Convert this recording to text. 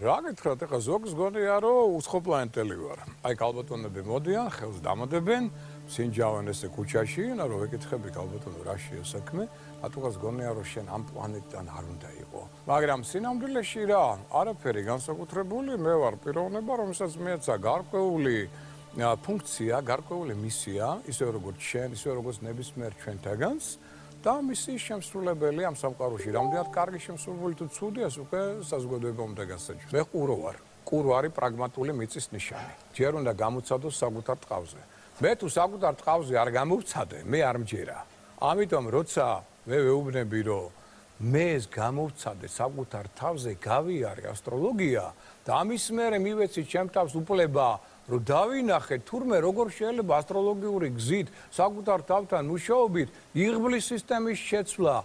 რა გითხრათ, ეხლა ზოგს გონია, რომ უცხოპლანეტელი ვარ. აი ქალბატონები მოდიან, ხელს დამოდებენ, სინჯავენ ესე ქუჩაში, რომ ვეკითხები ქალბატონო რა შეა საქმე, რატოღაც გონია, რომ შენ ამ პლანეტიდან არ უნდა იყო. მაგრამ სინამდვილეში რა, არაფერი განსაკუთრებული, მე ვარ პიროვნება, რომელსაც მეცა გარკვეული ფუნქცია, გარკვეული მისია, ისე როგორც შენ, ისე როგორც ნებისმიერ ჩვენთაგანს. და მისი შემსრულებელი ამ სამყაროში რამდენად კარგი შემსრულებელი თუ ცუდი ეს უკვე საზოგადოება უნდა გასაჯოს. მე ყურო ვარ. ყურო არის პრაგმატული მიწის ნიშანი. ჯერ უნდა გამოცადოს საკუთარ ტყავზე. მე თუ საკუთარ ტყავზე არ გამოვცადე, მე არ მჯერა. ამიტომ როცა მე ვეუბნები რომ მე ეს გამოვცადე საკუთარ თავზე გავიარე ასტროლოგია და ამის მერე მივეცი ჩემ თავს უფლება რომ დავინახე თურმე როგორ შეიძლება ასტროლოგიური გზით საკუთარ თავთან მუშაობით იღბლის სისტემის შეცვლა